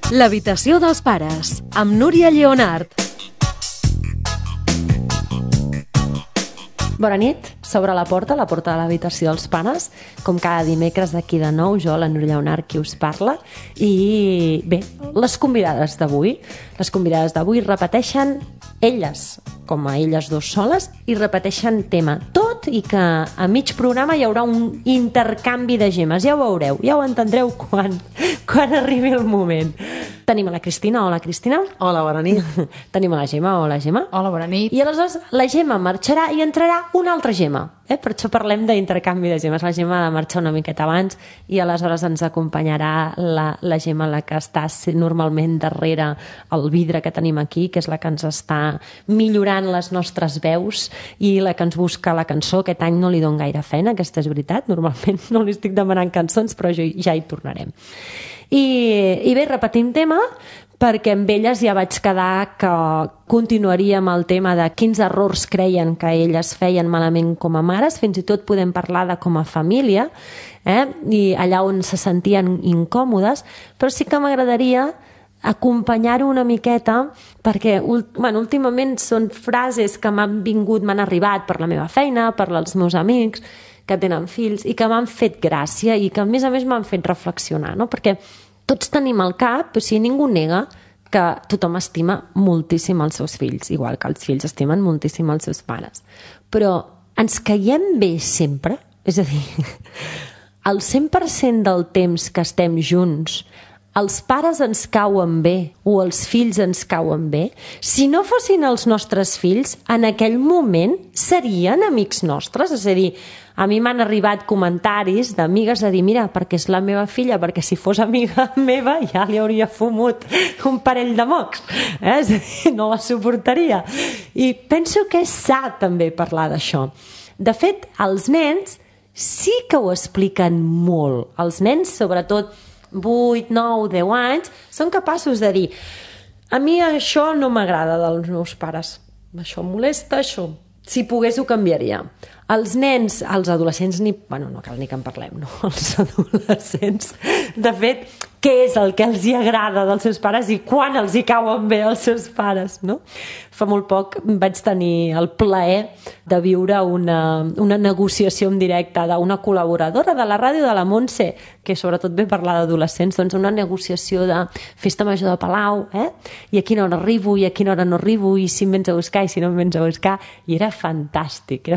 L'habitació dels pares, amb Núria Lleonart. Bona nit, s'obre la porta de l'habitació dels pares, com cada dimecres d'aquí de nou, jo, la Núria Lleonart, qui us parla. I bé, les convidades d'avui repeteixen elles, com a elles dos soles, i repeteixen tema. Tot i que a mig programa hi haurà un intercanvi de gemes. Ja ho veureu, ja ho entendreu quan arribi el moment. Tenim a la Cristina. Hola, Cristina. Hola, bona nit. Tenim a la Gemma. Hola, Gemma. Hola, bona nit. I aleshores la Gemma marxarà i entrarà una altra Gemma. Per això parlem d'intercanvi de gemes. La Gemma ha de marxar una miqueta abans i aleshores ens acompanyarà la Gemma, la que està normalment darrere el vidre que tenim aquí, que és la que ens està millorant les nostres veus i la que ens busca la cançó. Aquest any no li dono gaire feina, aquesta és veritat. Normalment no li estic demanant cançons, però ja hi tornarem. I bé, repetim tema, perquè amb elles ja vaig quedar que continuaríem el tema de quins errors creien que elles feien malament com a mares, fins i tot podem parlar de com a família, i allà on se sentien incòmodes, però sí que m'agradaria acompanyar-ho una miqueta perquè últimament són frases que m'han arribat per la meva feina, per els meus amics que tenen fills i que m'han fet gràcia i que a més m'han fet reflexionar, no? Perquè tots tenim al cap, o sigui, ningú nega que tothom estima moltíssim els seus fills, igual que els fills estimen moltíssim els seus pares. Però ens caiem bé sempre? És a dir, el 100% del temps que estem junts, els pares ens cauen bé o els fills ens cauen bé? Si no fossin els nostres fills, en aquell moment serien amics nostres? És a dir, a mi m'han arribat comentaris d'amigues a dir, mira, perquè és la meva filla, perquè si fos amiga meva ja li hauria fumut un parell de mocs. És a dir, no la suportaria. I penso que és sa també parlar d'això. De fet, els nens sí que ho expliquen molt. Els nens, sobretot 8, 9, 10 anys, són capaços de dir a mi això no m'agrada dels meus pares, això em molesta, això, si pogués ho canviaria. Els nens, els adolescents, no cal ni que en parlem, no? Els adolescents, de fet, què és el que els hi agrada dels seus pares i quan els hi cauen bé els seus pares, no? Fa molt poc vaig tenir el plaer de viure una negociació en directe d'una col·laboradora de la ràdio de la Montse, que sobretot ve parlar d'adolescents, doncs una negociació de festa major de Palau, i a quina hora arribo i a quina hora no arribo i si em vens a buscar i si no em vens a buscar, i era fantàstic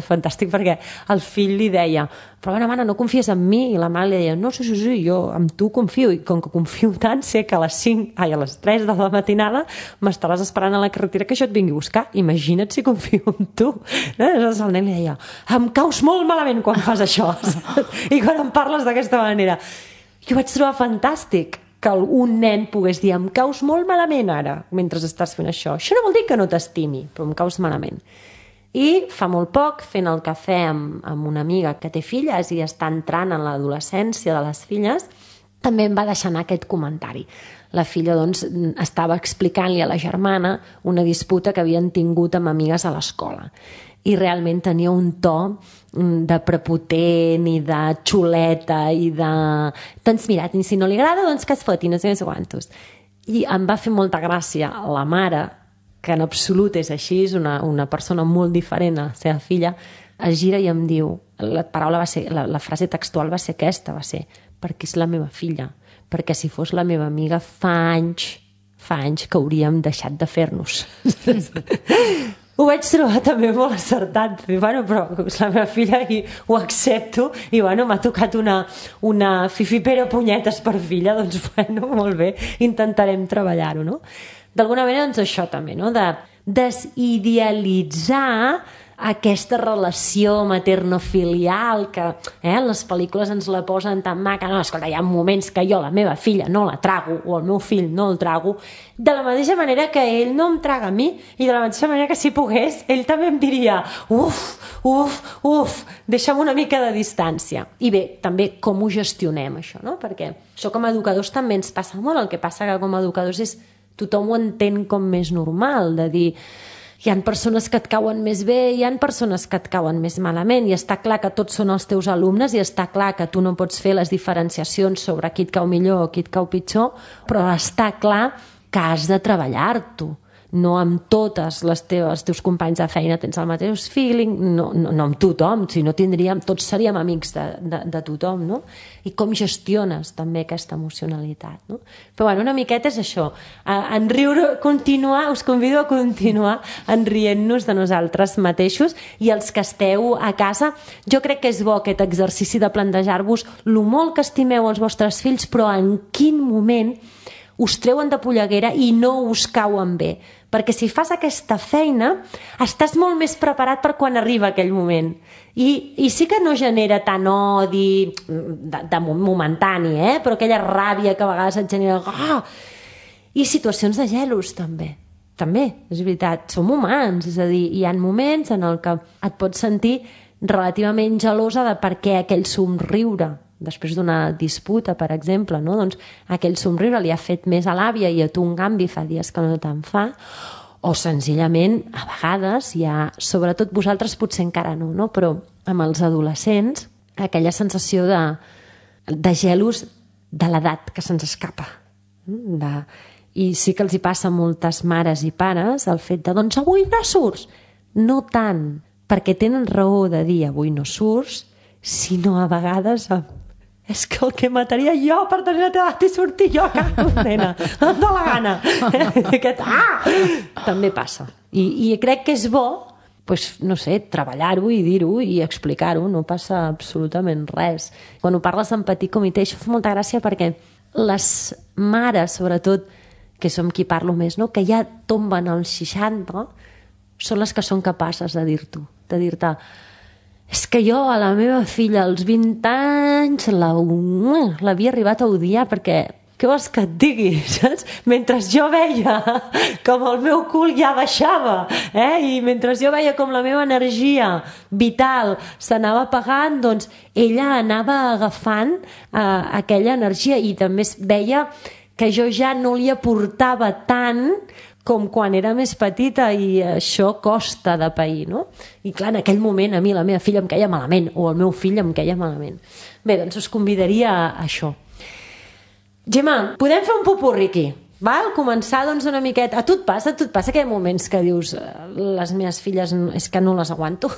perquè el fill li deia, però bueno, mare, no confies en mi? I la mare li deia, no, sí, jo en tu confio, i com que confio tant, sé que a les 3 de la matinada m'estaràs esperant a la carretera que jo et vingui a buscar, imagina't si confio en tu. Aleshores el nen li deia, em caus molt malament quan fas això i quan em parles d'aquesta manera. Jo vaig trobar fantàstic que un nen pogués dir, em caus molt malament ara mentre estàs fent això. Això no vol dir que no t'estimi, però em caus malament. I fa molt poc, fent el cafè amb una amiga que té filles i està entrant en l'adolescència de les filles, també em va deixar anar aquest comentari. La filla, doncs, estava explicant-li a la germana una disputa que havien tingut amb amigues a l'escola. I realment tenia un to de prepotent i de xuleta i de... Doncs mira, si no li agrada, doncs que es foti, no sé quantos. I em va fer molta gràcia la mare, que en absolut és així, és una persona molt diferent a la seva filla, es gira i em diu, la frase textual va ser aquesta, va ser, perquè és la meva filla, perquè si fos la meva amiga fa anys que hauríem deixat de fer-nos. Ho vaig trobar també molt acertat. Però és la meva filla i ho accepto i m'ha tocat una fifipera punyetes per filla, doncs molt bé, intentarem treballar-ho, no? D'alguna manera, doncs això també, no? De desidealitzar aquesta relació materno-filial que en les pel·lícules ens la posen tan maca. No, escolta, hi ha moments que jo la meva filla no la trago o el meu fill no el trago, de la mateixa manera que ell no em traga a mi i de la mateixa manera que si pogués ell també em diria uf, deixa'm una mica de distància. I bé, també com ho gestionem això, no? Perquè això com a educadors també ens passa molt. El que passa que com a educadors és tothom ho entén com més normal, de dir hi ha persones que et cauen més bé, hi ha persones que et cauen més malament, i està clar que tots són els teus alumnes i està clar que tu no pots fer les diferenciacions sobre qui et cau millor o qui et cau pitjor, però està clar que has de treballar-t'ho. No amb totes els teus companys de feina tens el mateix feeling, no amb tothom, si no tindríem, tots seríem amics de tothom, no? I com gestiones també aquesta emocionalitat, no? Però bueno, una miqueta és això, us convido a continuar enrient-nos de nosaltres mateixos, i els que esteu a casa, jo crec que és bo aquest exercici de plantejar-vos lo molt que estimeu els vostres fills, però en quin moment us treuen de polleguera i no us cauen bé. Perquè si fas aquesta feina, estàs molt més preparat per quan arriba aquell moment. I sí que no genera tant odi de momentani, però aquella ràbia que a vegades et genera... I situacions de gelos, també. També, és veritat, som humans. És a dir, hi ha moments en el que et pots sentir relativament gelosa de per què aquell somriure després d'una disputa, per exemple, no? Doncs aquell somriure li ha fet més a l'àvia i a tu, en canvi, fa dies que no te'n fa, o senzillament, a vegades, sobretot vosaltres potser encara no? Però amb els adolescents, aquella sensació de gelos de l'edat que se'ns escapa. I sí que els hi passa a moltes mares i pares el fet de, doncs avui no surts. No tant perquè tenen raó de dir avui no surts, sinó a vegades és que el que mataria jo per tenir la teva edat i sortir jo a casa, nena, em dóna la gana. També passa. I crec que és bo, no sé, treballar-ho i dir-ho i explicar-ho, no passa absolutament res. Quan ho parles en petit comitè, això fa molta gràcia perquè les mares, sobretot, que som qui parlo més, no? Que ja tomben als 60, són les que són capaces de dir-t'ho, de dir-te és que jo a la meva filla als 20 anys l'havia arribat a odiar perquè què vols que et digui, saps? Mentre jo veia com el meu cul ja baixava, i mentre jo veia com la meva energia vital s'anava apagant, doncs ella anava agafant aquella energia i també veia que jo ja no li aportava tant com quan era més petita, i això costa de pair, no? I clar, en aquell moment a mi la meva filla em queia malament, o el meu fill em queia malament. Bé, doncs us convidaria a això. Gemma, podem fer un popurri aquí? Val? Començar doncs una miqueta... A tu et passa que hi ha moments que dius les meves filles és que no les aguanto?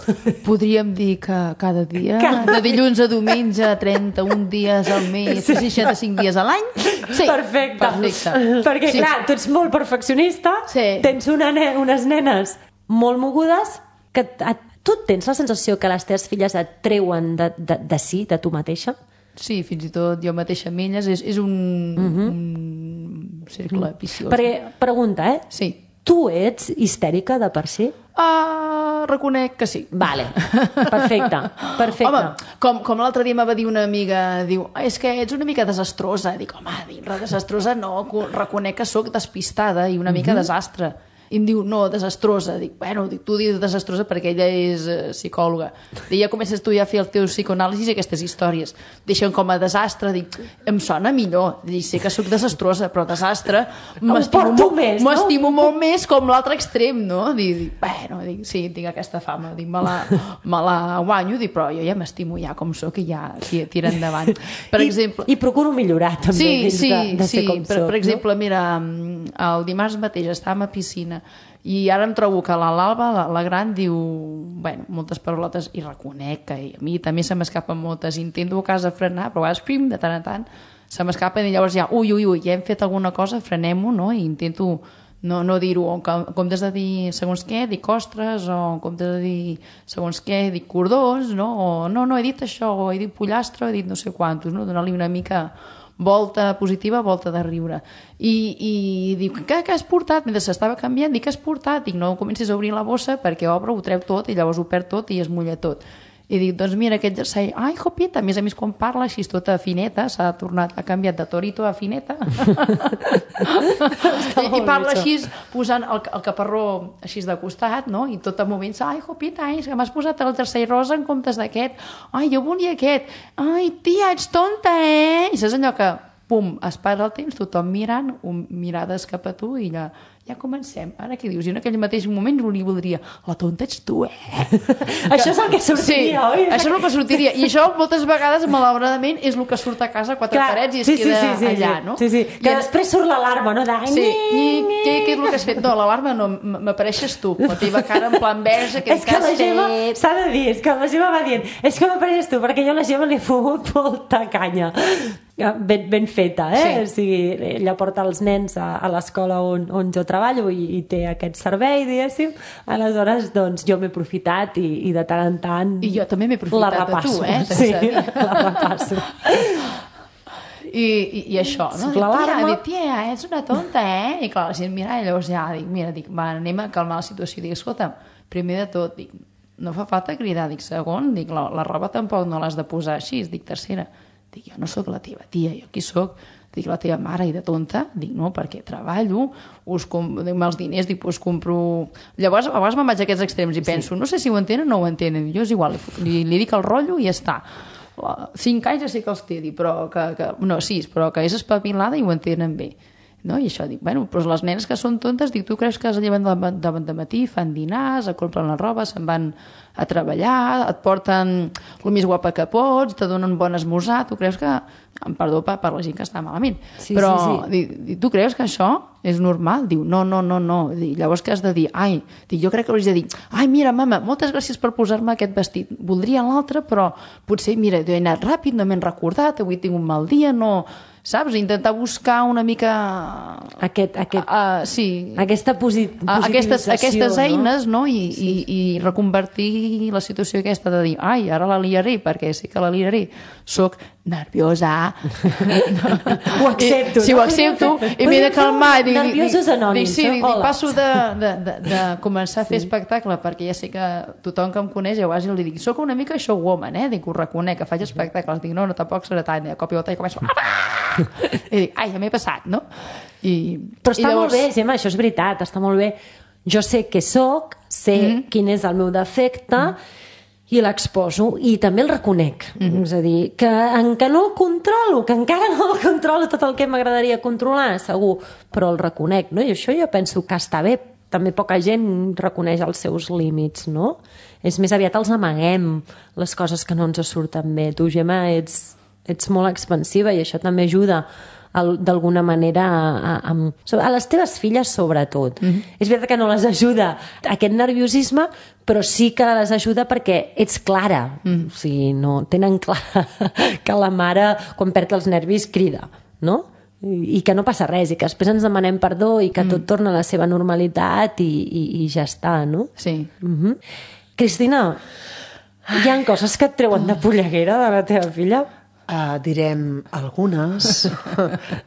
Podríem dir que cada dia, de dilluns a diumenge, 31 dies al mes, 65 dies a l'any. Sí, perfecte. Perquè clar, tu ets molt perfeccionista, tens unes nenes molt mogudes, que tu tens la sensació que les teves filles et treuen de si, de tu mateixa? Sí, fins i tot jo mateixa amb elles és un cercle viciós. Perquè, pregunta, Sí. Tu ets histèrica de per si? Reconec que sí. Vale, perfecte. Home, com l'altre dia me va dir una amiga, diu, és que ets una mica desastrosa. Dic, home, desastrosa no, reconec que sóc despistada i una mica desastre. I em diu, no, desastrosa. Dic, bueno, tu dius desastrosa perquè ella és psicòloga. Dic, ja comences tu ja a fer el teu psicoanàlisi i aquestes històries. Deixen com a desastre. Dic, em sona millor. Dic, sé que sóc desastrosa, però desastre m'estimo molt més com l'altre extrem, no? Dic, bueno, sí, tinc aquesta fama. Dic, me la guanyo, dic, però jo ja m'estimo ja com sóc i ja tira endavant. Per exemple... I procuro millorar també de ser com soc. Per exemple, mira, el dimarts mateix estàvem a piscina i ara em trobo que l'Alba, la gran, diu moltes paraulotes i reconec que a mi també se m'escapen moltes, intento a casa frenar, però a vegades de tant en tant se m'escapen i llavors ja, ui, ja hem fet alguna cosa, frenem-ho, no? I intento no dir-ho, en comptes de dir segons què, dic ostres, o en comptes de dir segons què, dic cordons, no? O no, he dit això, o he dit pollastre, he dit no sé quantos, no? Donar-li una mica volta positiva, volta de riure. I diu, què has portat? Mentre s'estava canviant, dic, què has portat? Dic, no comencis a obrir la bossa perquè obre, ho treu tot i llavors ho perd tot i es mulla tot. I dic, doncs mira, aquest jersei, ai, jopita, a més quan parla així tota fineta, ha canviat de torito a fineta. I parla així, posant el caparró així de costat, no? I tot el moment, ai, jopita, és que m'has posat el jersei rosa en comptes d'aquest. Ai, jo volia aquest. Ai, tia, ets tonta, I saps allò que pum, es para el temps, tothom mirant, mirades cap a tu i ja comencem. Ara què dius? I en aquell mateix moment li voldria, la tonta ets tu, Això és el que sortiria, oi? Això és el que sortiria. I això moltes vegades, malauradament, és el que surt a casa a quatre parets i es queda allà, no? Sí. Que després surt l'alarma, no? Sí. Què és el que has fet? No, l'alarma no, m'apareixes tu. La teva cara en plan verge, què has fet? S'ha de dir, és que la Gemma va dient, és que m'apareixes tu, perquè jo a la Gemma li he fumut molta canya. Ben feta, O sigui, ella porta els nens a l'escola on jo treballo i té aquest servei, diguéssim. Aleshores, doncs, jo m'he aprofitat i de tant en tant... I jo també m'he aprofitat de tu, Sí, la repasso. I això, no? Tia, ets una tonta, I clar, la gent mira, i llavors ja dic, va, anem a calmar la situació. Dic, escolta, primer de tot, dic, no fa falta cridar. Dic, segon, dic, la roba tampoc no l'has de posar així. Dic, tercera, dic, jo no sóc la teva tia, jo qui sóc? Dic, la teva mare i de tonta? Dic, no, perquè treballo, els diners, dic, us compro... Llavors, a vegades me'n vaig a aquests extrems i penso, no sé si ho entenen o no ho entenen. Jo és igual, li dic el rotllo i ja està. 5 anys ja sé que els té, però no, 6, però que és espavilada i ho entenen bé. No? I això, dic, bueno, però les nenes que són tontes, dic, tu creus que es lleven de matí, fan dinars, et compren la roba, se'n van a treballar, et porten el més guapa que pots, te donen bon esmorzar, tu creus que... Perdó per la gent que està malament. Però dic, tu creus que això és normal? Diu, no. Dic, llavors què has de dir? Jo crec que hauries de dir, mira, mama, moltes gràcies per posar-me aquest vestit. Voldria l'altre, però potser, mira, he anat ràpid, no m'he recordat, avui tinc un mal dia, no... Saps? Intentar buscar una mica... Aquesta positivització. Aquestes eines, no? I reconvertir la situació aquesta de dir, ara la liaré, perquè sí que la liaré. Soc nerviosa. Ho accepto. Sí, ho accepto. I m'he de calmar. Nerviosos anònims. Passo de començar a fer espectacle, perquè ja sé que tothom que em coneix, ja quasi li dic, soc una mica showwoman, Dic, ho reconec, que faig espectacles. Dic, no, tampoc serà tant. De cop i volta i començo... I dic, ja m'he passat, no? Però està molt bé, Gemma, això és veritat, està molt bé. Jo sé què soc, sé quin és el meu defecte i l'exposo i també el reconec. És a dir, que no el controlo, que encara no el controlo tot el que m'agradaria controlar, segur, però el reconec, no? I això jo penso que està bé. També poca gent reconeix els seus límits, no? És més aviat els amaguem, les coses que no ens surten bé. Tu, Gemma, ets molt expansiva i això també ajuda d'alguna manera a les teves filles sobretot. És veritat que no les ajuda aquest nerviosisme, però sí que les ajuda perquè ets clara. O sigui, no tenen clar que la mare quan perd els nervis crida, no? I que no passa res i que després ens demanem perdó i que tot torna a la seva normalitat i ja està, no? Sí. Cristina, hi ha coses que et treuen de polleguera de la teva filla? Direm algunes,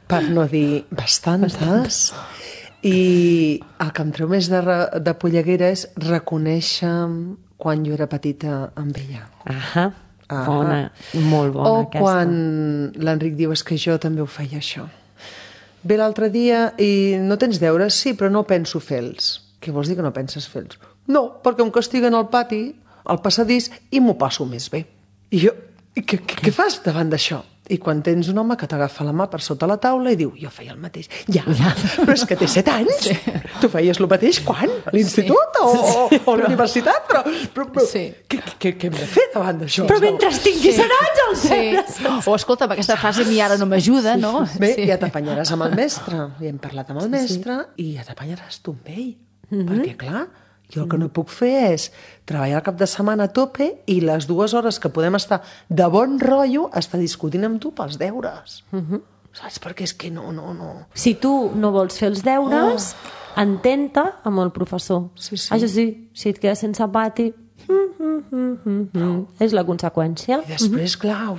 per no dir bastantes, i el que em treu més de polleguera és reconèixer quan jo era petita amb ella. Bona, molt bona aquesta. O quan l'Enric diu, és que jo també ho feia això. Ve l'altre dia i no tens deures? Sí, però no penso fer-los. Què vols dir que no penses fer-los? No, perquè em castiguen al pati, al passadís, i m'ho passo més bé. I jo... Què fas davant d'això? I quan tens un home que t'agafa la mà per sota la taula i diu, jo feia el mateix. Ja, però és que té 7 anys. Tu feies el mateix quan? A l'institut o a la universitat? Però què hem de fer davant d'això? Però mentre tinguis anys els deures. O escolta, aquesta frase a mi ara no m'ajuda, no? Bé, ja t'apanyaràs amb el mestre. I hem parlat amb el mestre i ja t'apanyaràs tu amb ell. Perquè, clar... Jo el que no puc fer és treballar el cap de setmana a tope i les 2 hores que podem estar de bon rotllo estar discutint amb tu pels deures. Saps? Perquè és que no. Si tu no vols fer els deures, entén-te amb el professor. Sí. Això sí, si et quedes sense pati... És la conseqüència. I després, clar,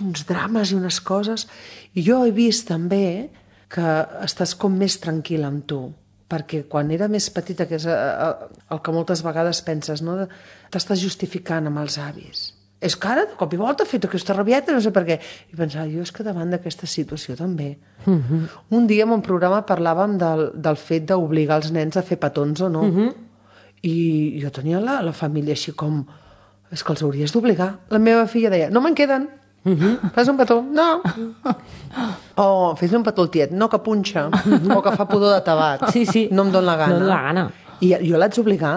uns drames i unes coses. I jo he vist també que estàs com més tranquil amb tu. Perquè quan era més petita, que és el que moltes vegades penses, no? T'estàs justificant amb els avis. És que ara, de cop i volta, he fet aquesta rabieta, no sé per què. I pensava, jo és que davant d'aquesta situació també. Un dia en un programa parlàvem del fet d'obligar els nens a fer petons o no. I jo tenia la família així com... És que els hauries d'obligar. La meva filla deia, no me'n queden. Fas un petó? No. O fes-li un petó al tiet, no, que punxa, o que fa pudor de tabac. Sí. No em dóna la gana. No em dóna la gana. I jo l'haig d'obligar?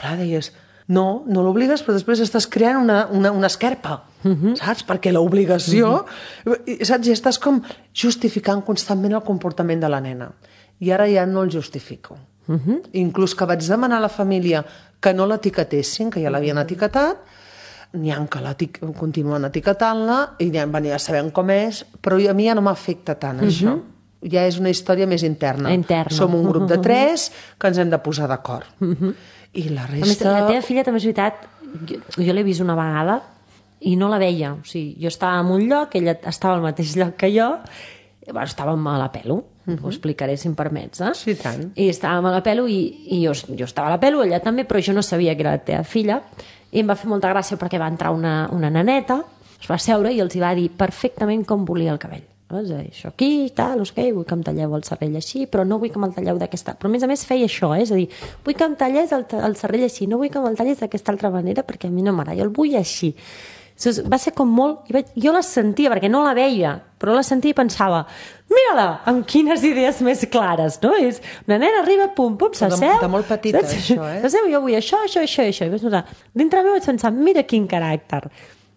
Clar, deies, no l'obligues, però després estàs creant una esquerpa, saps? Perquè l'obligació, saps? I estàs com justificant constantment el comportament de la nena. I ara ja no el justifico. Inclús que vaig demanar a la família que no l'etiquetessin, que ja l'havien etiquetat, n'hi ha que continuen etiquetant-la i ja sabem com és, però a mi ja no m'afecta tant això. Ja és una història més interna. Som un grup de 3 que ens hem de posar d'acord. I la resta... A més, la teva filla també és veritat, jo l'he vist una vegada i no la veia. O sigui, jo estava en un lloc, ella estava al mateix lloc que jo, estàvem a la pelo, ho explicaré si em permets, eh? Sí, tant. I estàvem a la pelo i jo estava a la pelo, ella també, però jo no sabia que era la teva filla, i em va fer molta gràcia perquè va entrar una neneta, es va seure i els hi va dir perfectament com volia el cabell. És a dir, això aquí, tal, no sé què, vull que em talleu el cervell així, però no vull que me'l talleu d'aquesta... Però a més feia això, és a dir, vull que em tallés el cervell així, no vull que me'l tallis d'aquesta altra manera perquè a mi no m'agrada, jo el vull així. Va ser com molt... Jo la sentia, perquè no la veia, però la sentia i pensava, mira-la, amb quines idees més clares, no? És una nena arriba, pum, s'asseu... De molt petita, això, eh? S'asseu, jo vull això. I vaig notar, dintre meu vaig pensar, mira quin caràcter.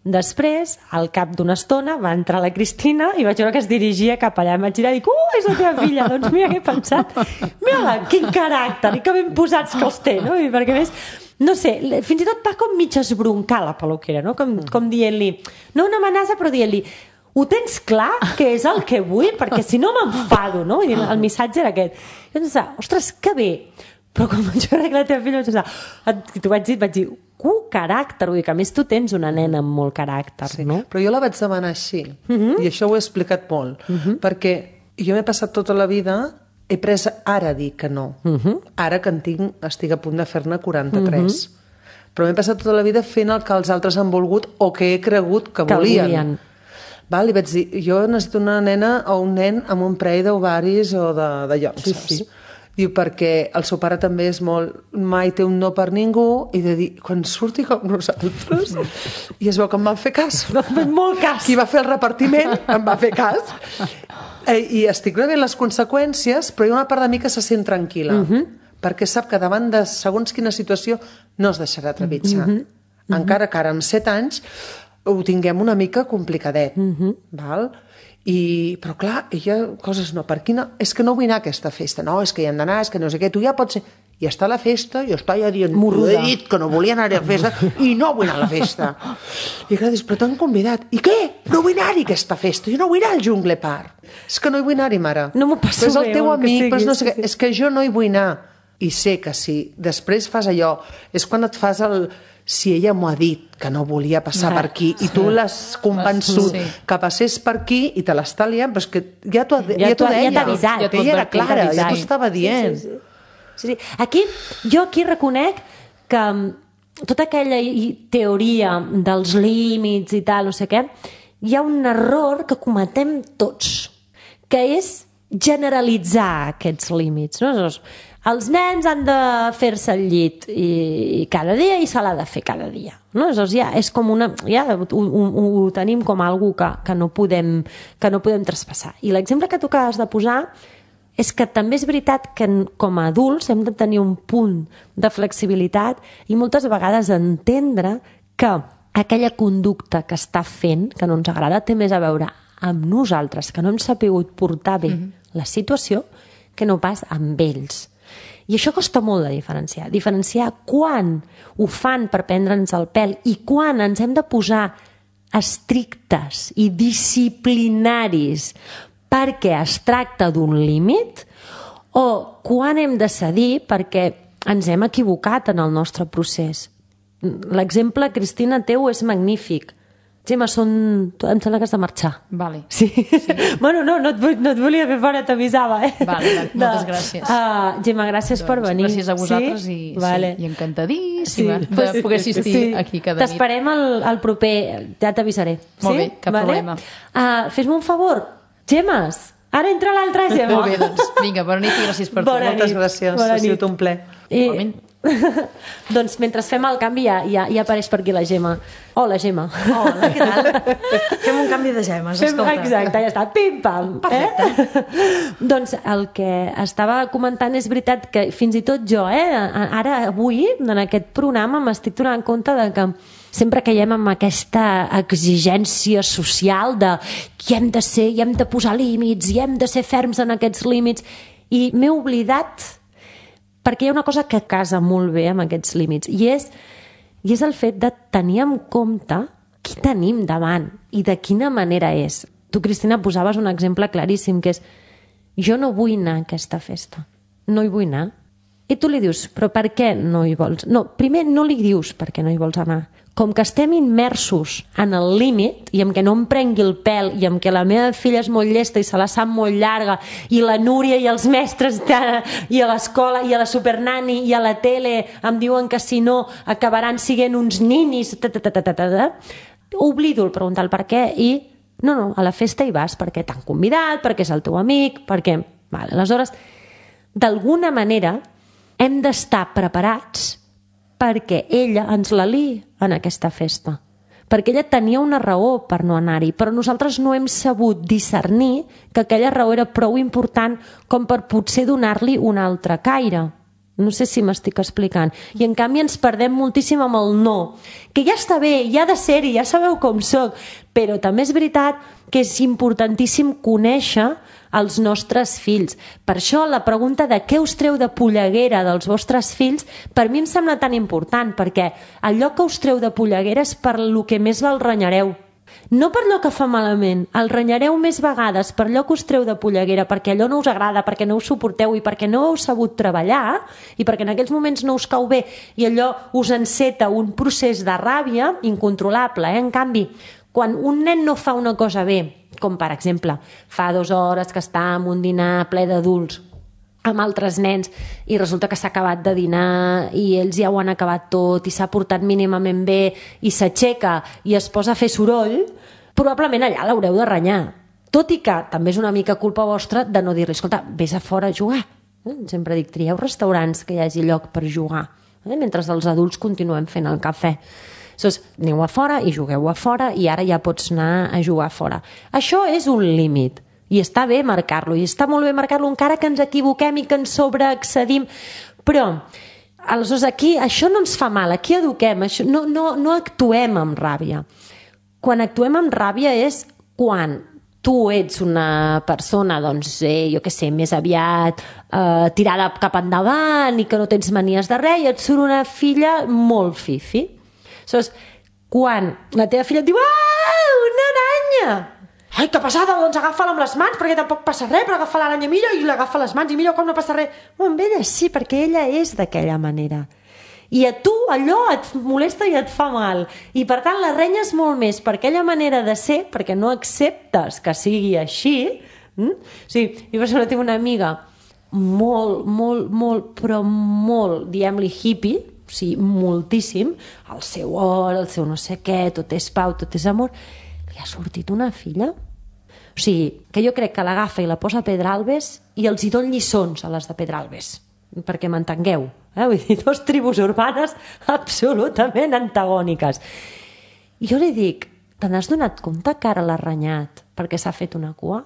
Després, al cap d'una estona, va entrar la Cristina i vaig veure que es dirigia cap allà. Em vaig girar i dic, és la teva filla. Doncs mira què he pensat. Mira-la, quin caràcter, i que ben posats que els té, no? I perquè més, no sé, fins i tot va com mig esbroncar la peluquera, no? Com dient-li, no una amenaça, però dient-li, ho tens clar que és el que vull? Perquè si no m'enfado, no? I el missatge era aquest. I vaig pensar, ostres, que bé. Però quan vaig veure que la teva filla t'ho vaig dir, caràcter, vull dir que a més tu tens una nena amb molt caràcter, sí, no? Però jo la vaig demanar així, i això ho he explicat molt, perquè jo m'he passat tota la vida, he pres ara a dir que no, ara que estic a punt de fer-ne 43, però m'he passat tota la vida fent el que els altres han volgut o que he cregut que volien. Val? I vaig dir, jo necessito una nena o un nen amb un parell d'ovaris o de llocs, saps? Diu, perquè el seu pare també és molt... Mai té un no per ningú, i de dir, quan surti com nosaltres, i es veu que em van fer cas. Molt cas. Qui va fer el repartiment em va fer cas. I estic rebent les conseqüències, però hi ha una part de mi que se sent tranquil·la, perquè sap que davant de segons quina situació no es deixarà trepitjar. Encara que ara amb 7 anys ho tinguem una mica complicadet. Val? Però clar, ella, coses no, per quina... És que no vull anar a aquesta festa, no, és que hi hem d'anar, és que no sé què, tu ja pots ser... I està a la festa, jo està ja dient, he dit que no volia anar a la festa i no vull anar a la festa. I clar, dius, però t'han convidat. I què? No vull anar-hi a aquesta festa, jo no vull anar al Jungle Park. És que no hi vull anar-hi, mare. No m'ho passo bé. Però és el teu amic, però no sé què. És que jo no hi vull anar. I sé que si després fas allò, és quan et fas el... Si ella m'ho ha dit que no volia passar per aquí i tu l'has convençut que passés per aquí i te l'està liant, però és que ja t'ho deia. Ja t'ha avisat. Ella era clara, ja t'ho estava dient. Sí. Jo aquí reconec que tota aquella teoria dels límits i tal, no sé què, hi ha un error que cometem tots, que és generalitzar aquests límits, no? Els nens han de fer-se el llit i cada dia i se l'ha de fer cada dia, no? És com una... Ja ho tenim com algo que no podem traspassar. I l'exemple que tu acabes de posar és que també és veritat que com a adults hem de tenir un punt de flexibilitat i moltes vegades entendre que aquella conducta que està fent, que no ens agrada, té més a veure amb nosaltres, que no hem sapigut portar bé la situació, que no pas amb ells. I això costa molt de diferenciar quan ho fan per prendre'ns el pèl i quan ens hem de posar estrictes i disciplinaris perquè es tracta d'un límit o quan hem de cedir perquè ens hem equivocat en el nostre procés. L'exemple, Cristina, teu és magnífic. Gemma, em sembla que has de marxar. Vale. Sí. Bueno, no et volia fer fora, t'avisava, Vale, moltes gràcies. Gemma, gràcies per venir. Gràcies a vosaltres i encantadíssima de poder assistir aquí cada nit. T'esperem al proper, ja t'avisaré. Molt bé, cap problema. Fes-me un favor, Gemmes, ara entra l'altra Gemma. Molt bé, doncs, vinga, bona nit i gràcies per tot. Moltes gràcies, ha sigut un ple. Igualment. Doncs mentre fem el canvi ja apareix per aquí la Gemma. Hola, Gemma. Hola, què tal? Fem un canvi de gemes, escolta. Exacte, ja està, pim-pam. Perfecte. Doncs el que estava comentant és veritat que fins i tot jo, ara avui, en aquest programa, m'estic donant compte de que sempre caiem amb aquesta exigència social de hi hem de ser, hi hem de posar límits, hi hem de ser ferms en aquests límits, i m'he oblidat, perquè hi ha una cosa que casa molt bé amb aquests límits, i és el fet de tenir en compte qui tenim davant i de quina manera és. Tu, Cristina, posaves un exemple claríssim, que és jo no vull anar a aquesta festa, no hi vull anar. I tu li dius, però per què no hi vols? No, primer no li dius per què no hi vols anar. Com que estem immersos en el límit i en què no em prengui el pèl i en què la meva filla és molt llesta i se la sap molt llarga i la Núria i els mestres i a l'escola i a la supernani i a la tele em diuen que si no acabaran siguent uns ninis, oblido el preguntar el per què i no, a la festa hi vas perquè t'han convidat, perquè és el teu amic, perquè... Vale, aleshores, d'alguna manera hem d'estar preparats perquè ella ens la liï en aquesta festa. Perquè ella tenia una raó per no anar-hi, però nosaltres no hem sabut discernir que aquella raó era prou important com per potser donar-li un altre caire. No sé si m'estic explicant. I en canvi ens perdem moltíssim amb el no, que ja està bé, ja ha de ser-hi, ja sabeu com soc, però també és veritat que és importantíssim conèixer els nostres fills. Per això la pregunta de què us treu de polleguera dels vostres fills per mi em sembla tan important, perquè allò que us treu de polleguera és per lo que més el renyareu. No per allò que fa malament, el renyareu més vegades per allò que us treu de polleguera, perquè allò no us agrada, perquè no us suporteu i perquè no heu sabut treballar i perquè en aquells moments no us cau bé i allò us enceta un procés de ràbia incontrolable. En canvi, quan un nen no fa una cosa bé, com per exemple fa 2 hores que està en un dinar ple d'adults amb altres nens i resulta que s'ha acabat de dinar i ells ja ho han acabat tot i s'ha portat mínimament bé i s'aixeca i es posa a fer soroll, probablement allà l'haureu de renyar. Tot i que també és una mica culpa vostra de no dir-li, escolta, vés a fora a jugar. Sempre dic, trieu restaurants que hi hagi lloc per jugar, mentre els adults continuem fent el cafè. Llavors, aneu a fora i jugueu a fora i ara ja pots anar a jugar a fora. Això és un límit. I està bé marcar-lo, i està molt bé marcar-lo encara que ens equivoquem i que ens sobreexcedim, però aleshores aquí això no ens fa mal, aquí eduquem, no actuem amb ràbia. Quan actuem amb ràbia és quan tu ets una persona, doncs, jo què sé, més aviat tirada cap endavant i que no tens manies de res i et surt una filla molt fifi. Aleshores, quan la teva filla et diu una aranya! Ai, que passada, doncs agafa-la amb les mans perquè tampoc passa res, però agafa l'aranya millor i l'agafa les mans i millor, com no passa res. Amb ella sí, perquè ella és d'aquella manera. I a tu allò et molesta i et fa mal. I per tant la renyes molt més per aquella manera de ser, perquè no acceptes que sigui així. Sí, jo per exemple tinc una amiga molt, però molt, diguem-li hippie, o sigui, moltíssim, el seu or, el seu no sé què, tot és pau, tot és amor. Li ha sortit una filla? O sigui, que jo crec que l'agafa i la posa a Pedralbes i els hi don lliçons a les de Pedralbes, perquè m'entengueu. Vull dir, 2 tribus urbanes absolutament antagòniques. I jo li dic, te n'has donat compte que ara l'ha renyat perquè s'ha fet una cua?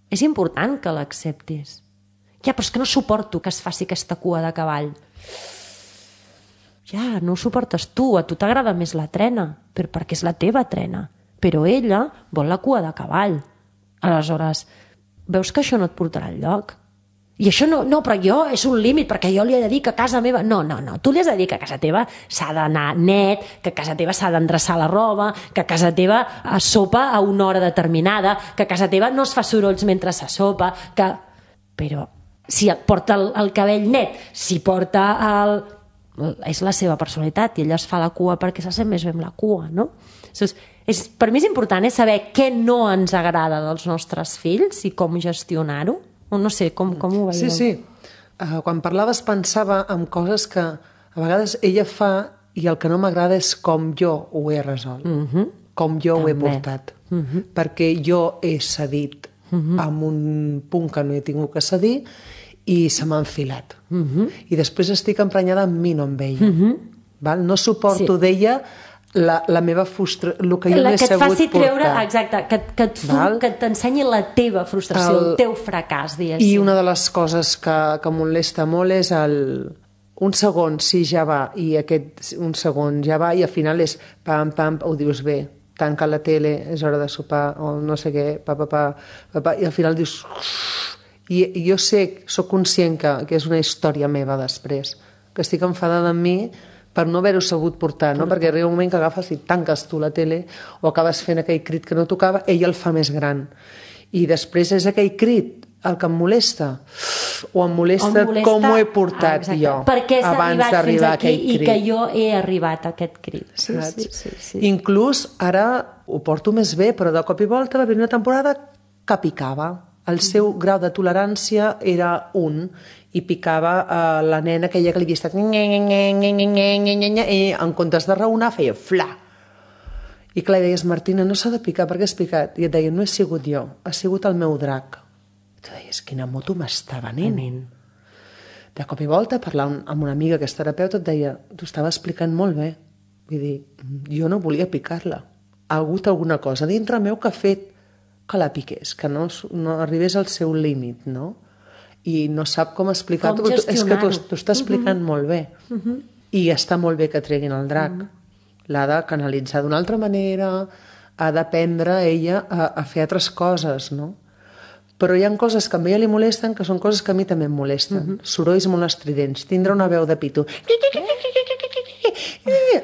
És important que l'acceptis. Ja, però és que no suporto que es faci aquesta cua de cavall. Ja, no ho suportes tu, a tu t'agrada més la trena, però perquè és la teva trena. Però ella vol la cua de cavall. Aleshores, veus que això no et portarà enlloc? I això no, però jo és un límit, perquè jo li he de dir que a casa meva... No, tu li has de dir que a casa teva s'ha d'anar net, que a casa teva s'ha d'endreçar la roba, que a casa teva es sopa a una hora determinada, que a casa teva no es fa sorolls mentre se sopa, que... Però si porta el cabell net, si porta el... És la seva personalitat i ella es fa la cua perquè se sent més bé amb la cua, no? Per mi és important saber què no ens agrada dels nostres fills i com gestionar-ho. No sé, com ho veieu? Sí. Quan parlaves pensava en coses que a vegades ella fa i el que no m'agrada és com jo ho he resolt, com jo ho he portat. Perquè jo he cedit en un punt que no he tingut que cedir i se m'ha enfilat. I després estic emprenyada amb mi, no amb ella. Val? No suporto d'ella la meva frustració, el que jo no he sabut portar. Exacte, que t'ensenyi la teva frustració, el teu fracàs, diguéssim. I una de les coses que molesta molt és un segon sí ja va, i aquest un segon ja va, i al final és pam, pam, ho dius bé, tanca la tele, és hora de sopar, o no sé què, i al final dius... I jo soc conscient que és una història meva després, que estic enfadada amb mi per no haver-ho sabut portar, no? Perquè arriba un moment que agafes i tanques tu la tele o acabes fent aquell crit que no tocava, ell el fa més gran. I després és aquell crit el que em molesta, o em molesta com ho he portat jo abans d'arribar a aquell crit. I que jo he arribat a aquest crit. Sí. Inclús ara ho porto més bé, però de cop i volta va haver una temporada que picava. El seu grau de tolerància era 1 i picava la nena aquella que li havia estat i en comptes de raonar feia fla. I clar, deies, Martina, no s'ha de picar, per què has picat? I et deia, no he sigut jo, ha sigut el meu drac. I tu deies, quina moto m'està venint. De cop i volta, parlant amb una amiga que és terapeuta, et deia, t'ho estava explicant molt bé. Vull dir, jo no volia picar-la. Ha hagut alguna cosa dintre meu que ha fet que la piqués, que no arribés al seu límit, no? I no sap com explicar-ho, però és que t'ho està explicant molt bé. I està molt bé que treguin el drac. L'ha de canalitzar d'una altra manera, ha d'aprendre ella a fer altres coses, no? Però hi ha coses que a ella li molesten que són coses que a mi també em molesten. Sorolls molt estridents, tindre una veu de pito.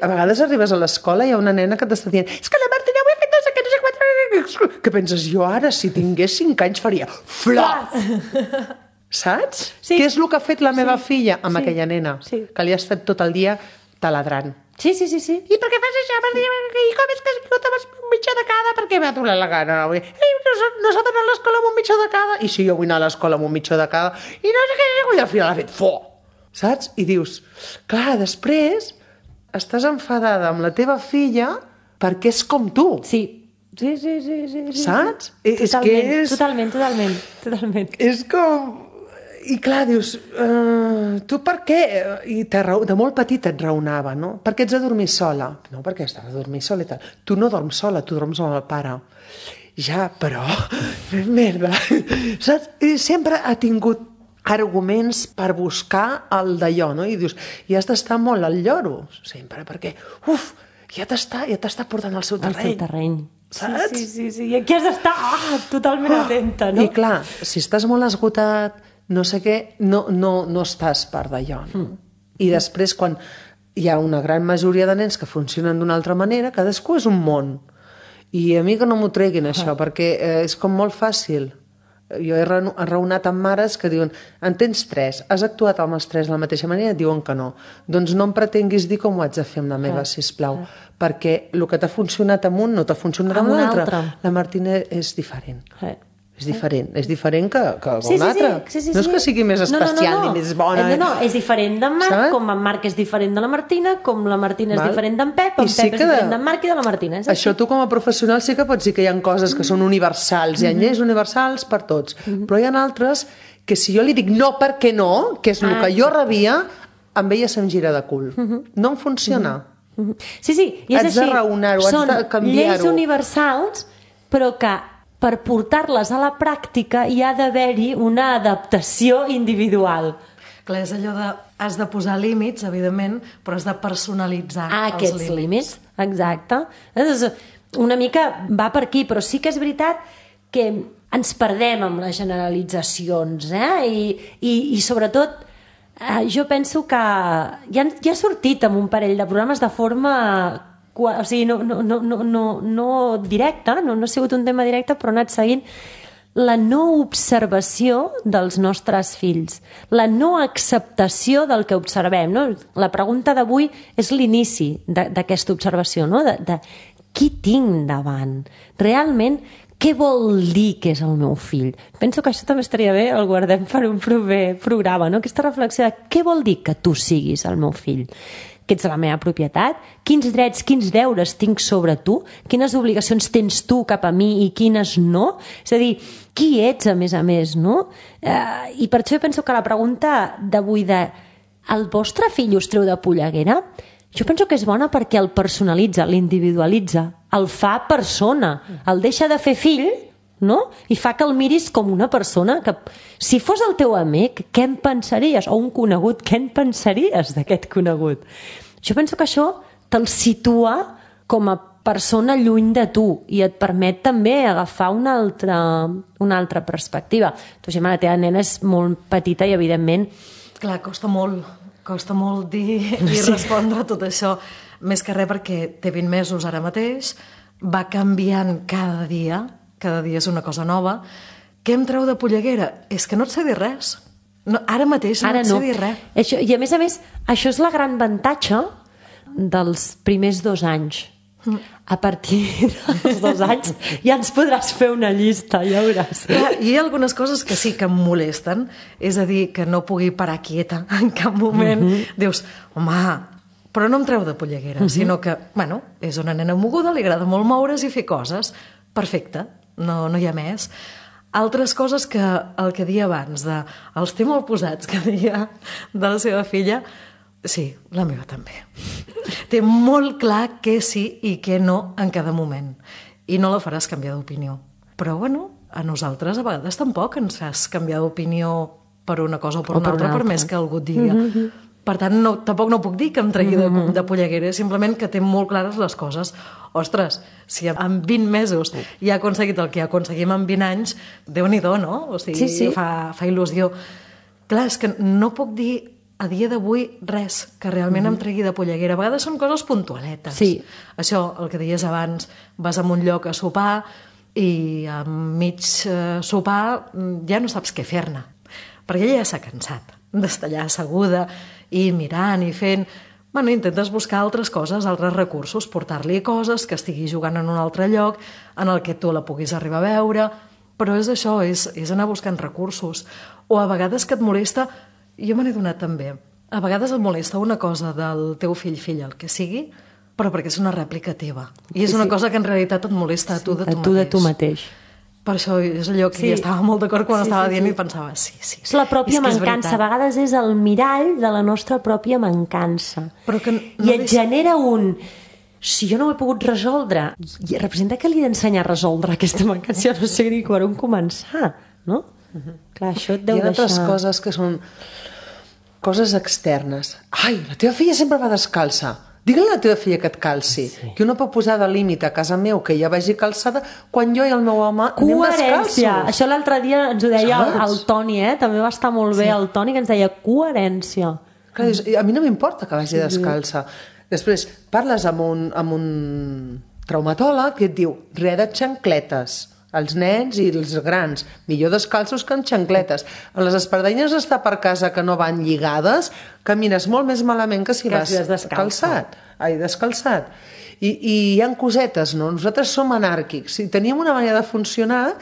A vegades arribes a l'escola i hi ha una nena que t'està dient és que la Martina ho he fet no sé què, no sé quatre... Que penses, jo ara, si tingués 5 anys, faria flas! Saps? Sí. Què és el que ha fet la meva filla amb aquella nena? Que li ha estat tot el dia taladrant. Sí. I per què fas això? I com és que has vingut amb un mitjà de cada? Per què m'ha donat la gana? No s'ha d'anar a l'escola amb un mitjà de cada? I sí, jo vull anar a l'escola amb un mitjà de cada. I no sé què, i al final ha fet fo! Saps? I dius, clar, després estàs enfadada amb la teva filla perquè és com tu. Sí. Saps? Totalment. És com... I clar, dius, tu per què? I de molt petit et raonava, no? Per què ets a dormir sola? No, perquè estàs a dormir sola i tal. Tu no dorms sola, tu dorms amb el pare. Ja, però... Merda. Saps? I sempre ha tingut arguments per buscar el d'allò, no? I dius, i has d'estar molt al lloro, sempre, perquè, ja t'està portant al seu terreny. Al seu terreny. Saps? Sí. I aquí has d'estar totalment atenta, no? I clar, si estàs molt esgotat, no sé què, no estàs part d'allò, no? I després, quan hi ha una gran majoria de nens que funcionen d'una altra manera, cadascú és un món. I a mi que no m'ho treguin, això, perquè és com molt fàcil. Jo he raonat amb mares que diuen en tens 3, has actuat amb els 3 de la mateixa manera? Et diuen que no. Doncs no em pretenguis dir com ho haig de fer amb la meva, sisplau, perquè el que t'ha funcionat amb un no t'ha funcionat amb l'altre. La Martina és diferent. És diferent que un altre. No és que sigui més especial ni més bona. No, és diferent d'en Marc, com en Marc és diferent de la Martina, com la Martina és diferent d'en Pep, en Pep és diferent d'en Marc i de la Martina. Això tu com a professional sí que pots dir que hi ha coses que són universals, hi ha lleis universals per tots, però hi ha altres que si jo li dic no perquè no, que és el que jo rebia, amb ella se'm gira de cul. No em funciona. Sí, i és així. Has de raonar-ho, has de canviar-ho. Són lleis universals, però que per portar-les a la pràctica hi ha d'haver-hi una adaptació individual. Clar, és allò de... Has de posar límits, evidentment, però has de personalitzar aquests límits. Exacte. Una mica va per aquí, però sí que és veritat que ens perdem amb les generalitzacions, i sobretot jo penso que ja ha sortit amb un parell de programes de forma... O sigui, no directe, no ha sigut un tema directe, però ha anat seguint la no observació dels nostres fills, la no acceptació del que observem, no? La pregunta d'avui és l'inici d'aquesta observació, no? De qui tinc davant? Realment, què vol dir que és el meu fill? Penso que això també estaria bé, el guardem per un proper programa, no? Aquesta reflexió de què vol dir que tu siguis el meu fill? Que ets la meva propietat? Quins drets, quins deures tinc sobre tu? Quines obligacions tens tu cap a mi i quines no? És a dir, qui ets, a més, no? I per això jo penso que la pregunta d'avui el vostre fill us treu de polleguera? Jo penso que és bona perquè el personalitza, l'individualitza, el fa persona, el deixa de fer fill, no? I fa que el miris com una persona que, si fos el teu amic, què en pensaries? O un conegut, què en pensaries d'aquest conegut? Jo penso que això te'l situa com a persona lluny de tu i et permet també agafar una altra perspectiva. Tu, Gemma, la teva nena és molt petita i, evidentment... Clar, costa molt dir i respondre a tot això, més que res perquè té 20 mesos ara mateix, va canviant cada dia és una cosa nova. Què em treu de polleguera? És que no et sé dir res. No, ara mateix no et sé dir res. Això, i a més, això és la gran avantatge dels primers 2 anys. A partir dels 2 anys ja ens podràs fer una llista, ja veuràs. Hi ha algunes coses que sí que em molesten, és a dir, que no pugui parar quieta en cap moment. Dius, home, però no em treu de polleguera, sinó que, bueno, és una nena moguda, li agrada molt moure's i fer coses. Perfecte, no hi ha més. Altres coses que el que deia abans, els té molt posats, que deia de la seva filla, sí, la meva també. Té molt clar què sí i què no en cada moment. I no la faràs canviar d'opinió. Però, bueno, a nosaltres a vegades tampoc ens fas canviar d'opinió per una cosa o per una altra, per més que algú et digui. Per tant, tampoc no puc dir que em tregui de polleguera, simplement que té molt clares les coses. Ostres, si en 20 mesos ja ha aconseguit el que aconseguim en 20 anys, Déu-n'hi-do, no? O sigui, sí. Fa il·lusió. Clar, és que no puc dir a dia d'avui res que realment em tregui de polleguera. A vegades són coses puntualetes. Sí. Això, el que deies abans, vas a un lloc a sopar i a mig sopar ja no saps què fer-ne, perquè ella ja s'ha cansat d'estar allà asseguda i mirant i fent... Bueno, intentes buscar altres coses, altres recursos, portar-li coses, que estigui jugant en un altre lloc, en el que tu la puguis arribar a veure, però és això, és anar buscant recursos. O a vegades que et molesta... Jo me n'he donat també. A vegades et molesta una cosa del teu fill, el que sigui, però perquè és una rèplica teva. I és una cosa que en realitat et molesta a tu de tu mateix. Per això és allò que jo estava molt d'acord quan estava dient i pensava, sí. És la pròpia mancança. A vegades és el mirall de la nostra pròpia mancança. I et genera un... Si jo no ho he pogut resoldre, representa que li he d'ensenyar a resoldre aquesta mancança, no sé ni per on començar, no? Clar, això et deu deixar... Hi ha altres coses que són coses externes. Ai, la teva filla sempre va descalça. Digue-li a la teva filla que et calci. Sí. Que no pot posar de límit a casa meu que ja vagi calçada quan jo i el meu home anem descalços. Això l'altre dia ens ho deia el Toni, també va estar molt bé el Toni, que ens deia coherència. Clar, a mi no m'importa que vagi descalça. Després parles amb un traumatòleg que et diu res de xancletes. Els nens i els grans, millor descalços que amb xancletes. A les espardenyes d'estar per casa que no van lligades, camines molt més malament que si vas descalçat. I hi ha cosetes, no? Nosaltres som anàrquics i teníem una manera de funcionar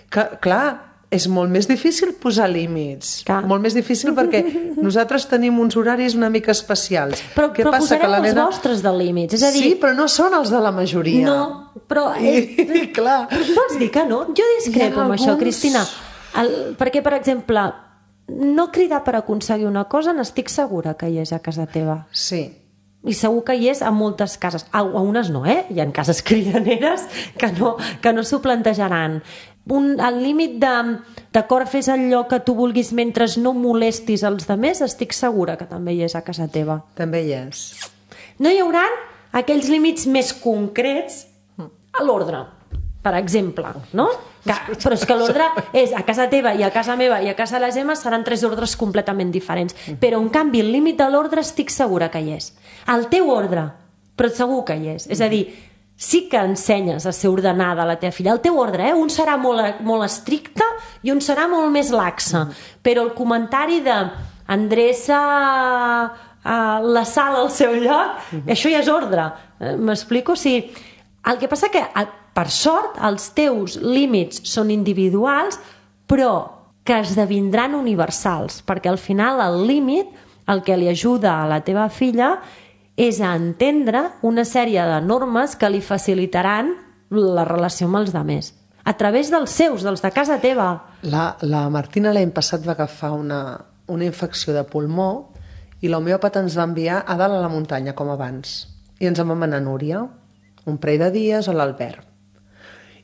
que, clar, és molt més difícil posar límits. Molt més difícil perquè nosaltres tenim uns horaris una mica especials. Però posarem els vostres de límits. És a dir... Sí, però no són els de la majoria. No, però... Clar. Però vols dir que no? Jo discrepo amb això, Cristina. Perquè, per exemple, no cridar per aconseguir una cosa n'estic segura que hi és a casa teva. Sí. I segur que hi és a moltes cases. A unes no, Hi ha cases cridaneres que no s'ho plantejaran. El límit d'acord, fes allò que tu vulguis mentre no molestis els altres, estic segura que també hi és a casa teva. També hi és. No hi haurà aquells límits més concrets a l'ordre, per exemple, no? Però és que l'ordre és a casa teva i a casa meva i a casa de la Gemma seran 3 ordres completament diferents. Però, en canvi, el límit de l'ordre estic segura que hi és. El teu ordre, però segur que hi és. És a dir, sí que ensenyes a ser ordenada a la teva filla. El teu ordre, un serà molt estricte i un serà molt més laxe. Però el comentari d'endreça la sala al seu lloc, això ja és ordre. M'explico? O sigui, el que passa que per sort, els teus límits són individuals, però que esdevindran universals, perquè al final el límit, el que li ajuda a la teva filla és a entendre una sèrie de normes que li facilitaran la relació amb els altres, a través dels seus, dels de casa teva. La Martina l'any passat va agafar una infecció de pulmó i l'homeòpata ens va enviar a dalt a la muntanya, com abans. I ens en vam anar a Núria, un parell de dies a l'Albert.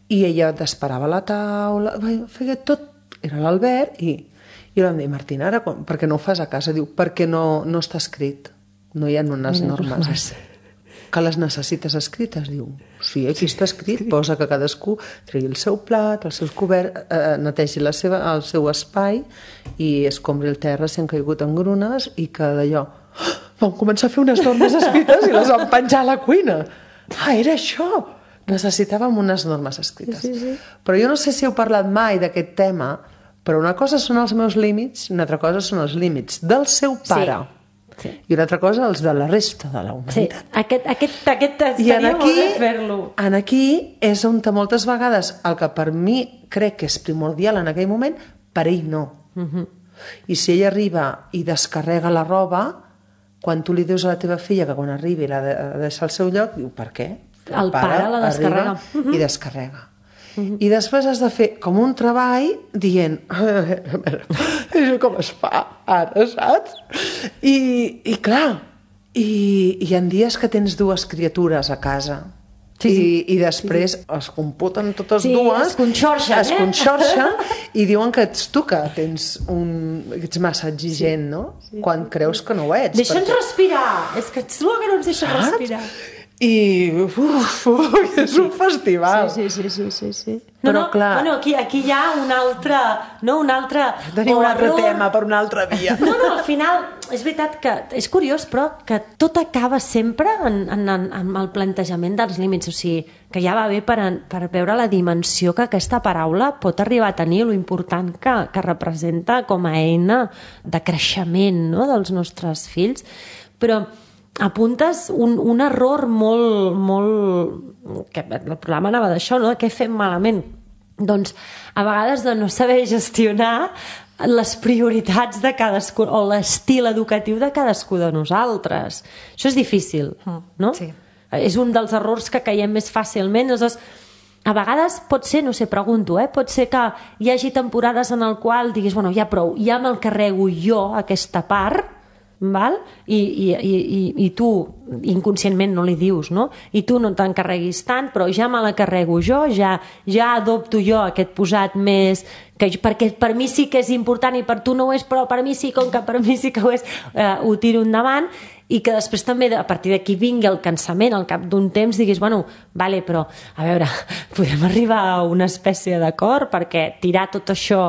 I ella t'esperava a la taula, feia tot, era l'Albert, i jo vam dir, Martina, ara, per què no ho fas a casa? Diu, perquè no està escrit, no hi ha unes normes. Que les necessites escrites? Diu, sí, aquí està escrit, posa que cadascú tregui el seu plat, el seu cobert, netegi el seu espai i escombri el terra si han caigut engrunes i que d'allò... Vam començar a fer unes normes escrites i les vam penjar a la cuina. Era això! Necessitàvem unes normes escrites. Sí. Però jo no sé si heu parlat mai d'aquest tema, però una cosa són els meus límits i una altra cosa són els límits del seu pare. Sí. I una altra cosa els de la resta de la humanitat. Aquest estaria molt bé fer-lo. Aquí és on moltes vegades el que per mi crec que és primordial en aquell moment, per ell no. I si ell arriba i descarrega la roba, quan tu li dius a la teva filla que quan arribi l'ha de deixar al seu lloc, diu, per què? El pare la descarrega. I descarrega. I després has de fer com un treball dient això com es fa ara, saps? I clar, i hi ha dies que tens dues criatures a casa i després es computen totes dues, es conxorxen, i diuen que ets tu que ets massa exigent, no? Quan creus que no ho ets. Deixa'ns respirar, és que ets tu que no ens deixa respirar. I és un festival. Sí. Però clar... Bueno, aquí hi ha un altre... Tenim un altre tema per una altra via. Al final, és veritat que és curiós, però que tot acaba sempre en el plantejament dels límits. O sigui, que ja va bé per veure la dimensió que aquesta paraula pot arribar a tenir, lo important que representa com a eina de creixement, no?, dels nostres fills. Però apuntes un error molt... que el programa anava d'això, no?, de què fem malament. Doncs a vegades de no saber gestionar les prioritats de cadascú o l'estil educatiu de cadascú de nosaltres. Això és difícil, no? Sí. És un dels errors que caiem més fàcilment. Aleshores, a vegades pot ser, no sé, pregunto, pot ser que hi hagi temporades en el qual diguis, bueno, ja prou, ja me'l carrego jo, aquesta part, val? I tu inconscientment no li dius, no? I tu no t'encarreguis tant, però ja me la carrego jo, ja adopto jo aquest posat més perquè per mi sí que és important i per tu no ho és, però per mi sí, com que per mi sí que ho és, ho tiro endavant, i que després també a partir d'aquí vingui el cansament al cap d'un temps, diguis, bueno, vale, però a veure, podem arribar a una espècie d'acord perquè tirar tot això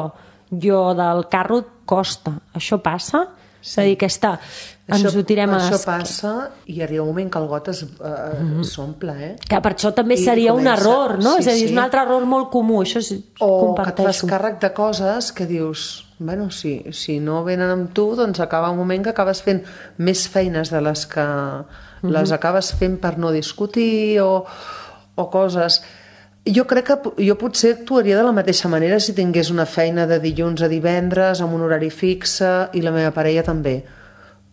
jo del carro costa, això passa? És a dir, ens ho tirem a l'esquena. Això passa i arriba un moment que el got s'omple, Que per això també seria un error, no? És a dir, és un altre error molt comú, això o que et fas càrrec de coses que dius, bueno, si no venen amb tu, doncs acaba un moment que acabes fent més feines de les que les acabes fent per no discutir o coses... Jo crec que jo potser actuaria de la mateixa manera si tingués una feina de dilluns a divendres amb un horari fixe i la meva parella també.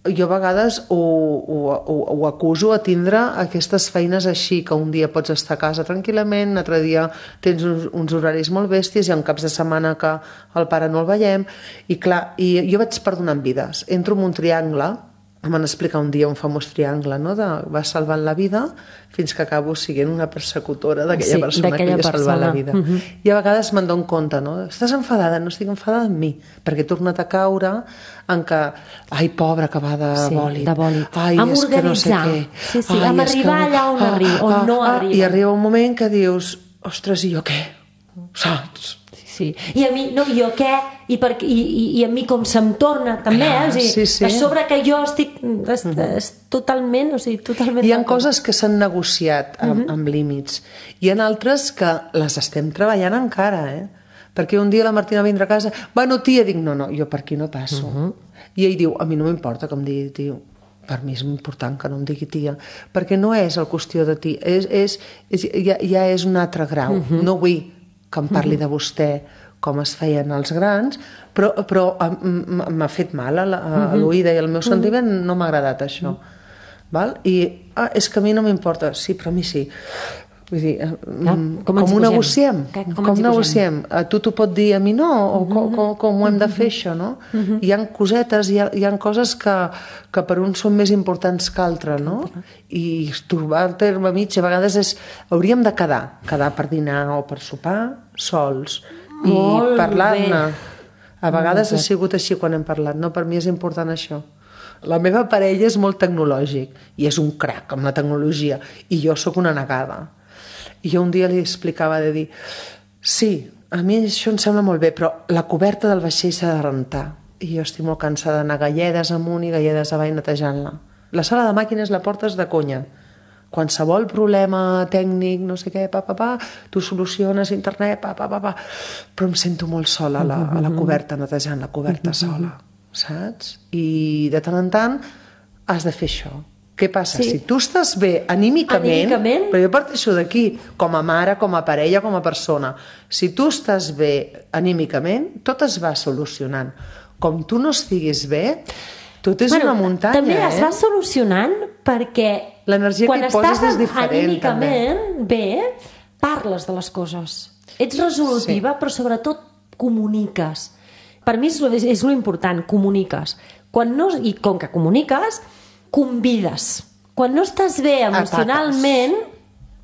Jo a vegades ho acuso a tindre aquestes feines així, que un dia pots estar a casa tranquil·lament, un altre dia tens uns horaris molt bèsties, hi ha caps de setmana que el pare no el veiem, i clar, jo vaig perdonant vides. Entro en un triangle, em van explicar un dia un famós triangle, no? Vas salvant la vida fins que acabo sent una persecutora d'aquella persona que li ha salvat la vida. I a vegades me'n dono compte, no? Estàs enfadada? No estic enfadada amb mi, perquè he tornat a caure en que, ai, pobra, que va de bòlit. Ai, és que no sé què. Amb arribar allà on no arriba. I arriba un moment que dius, ostres, i jo què? Saps? Sí. I a mi, no, jo què? I a mi com se'm torna també, a sobre que jo estic totalment, hi ha coses que s'han negociat amb límits, hi ha altres que les estem treballant encara, perquè un dia la Martina vindrà a casa, bueno, tia, dic, no, jo per aquí no passo, i ell diu, a mi no m'importa que em digui tio, per mi és important que no em digui tia, perquè no és el qüestió de tia, ja és un altre grau. No vull que em parli de vostè com es feien els grans, però m'ha fet mal a l'oïda i al meu sentiment no m'ha agradat això. Val? I és que a mi no m'importa. Sí, però a mi sí. Vull dir, com ho negociem? Com negociem? A tu t'ho pot dir, a mi no? O com ho hem de fer, això, no? Hi ha cosetes, hi ha coses que per uns són més importants que altres, no? I trobar el terme mig a vegades és... Hauríem de quedar per dinar o per sopar sols i parlar-ne. A vegades ha sigut així quan hem parlat, no? Per mi és important això. La meva parella és molt tecnològic i és un crac amb la tecnologia i jo sóc una negada. I jo un dia li explicava de dir sí, a mi això em sembla molt bé, però la coberta del vaixell s'ha de rentar. I jo estic molt cansada d'anar galledes amunt i galledes avall netejant-la. La sala de màquines la portes de conya. Qualsevol problema tècnic, no sé què, tu soluciones internet, però em sento molt sola a la coberta, netejant la coberta sola, saps? I de tant en tant has de fer això. Què passa? Sí. Si tu estàs bé anímicament, però jo parteixo d'aquí, com a mare, com a parella, com a persona, si tu estàs bé anímicament, tot es va solucionant. Com tu no estiguis bé, tot és una muntanya. També es va solucionant perquè quan estàs anímicament bé, parles de les coses. Ets resolutiva, però sobretot comuniques. Per mi és lo important, comuniques. I com que comuniques, convides. Quan no estàs bé emocionalment,